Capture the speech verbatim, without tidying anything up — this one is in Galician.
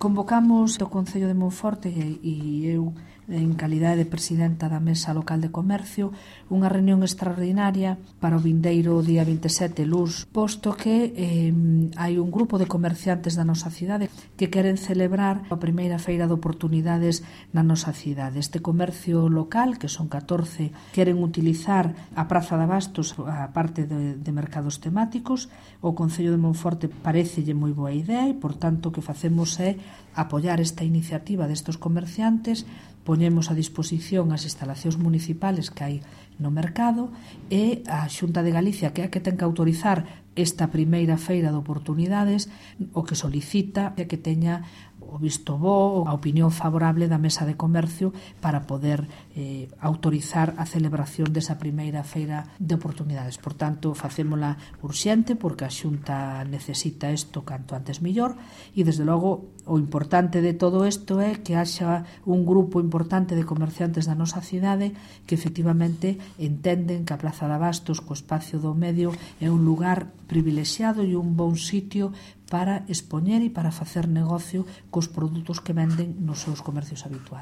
Convocamos o Concello de Monforte e eu, en calidade de presidenta da Mesa Local de Comercio, unha reunión extraordinaria para o vindeiro día vinte e sete luz, posto que eh, hai un grupo de comerciantes da nosa cidade que queren celebrar a primeira feira de oportunidades na nosa cidade. Este comercio local, que son catorce, queren utilizar a Praza de Abastos a parte de, de mercados temáticos. O Concello de Monforte parecelle moi boa idea e, por tanto, o que facemos é apoiar esta iniciativa destes comerciantes, poñemos a disposición as instalacións municipales que hai no mercado e a Xunta de Galicia, que é a que ten que autorizar esta primeira feira de oportunidades, o que solicita é que teña o visto bo, a opinión favorable da Mesa de Comercio para poder eh, autorizar a celebración desa primeira feira de oportunidades. Por tanto, facémola urxente porque a Xunta necesita isto canto antes mellor e, desde logo, o importante de todo isto é que haxa un grupo importante de comerciantes da nosa cidade que efectivamente entenden que a Praza de Abastos, co espacio do medio, é un lugar privilexiado e un bon sitio para expoñer e para facer negocio cos produtos que venden nos seus comercios habituais.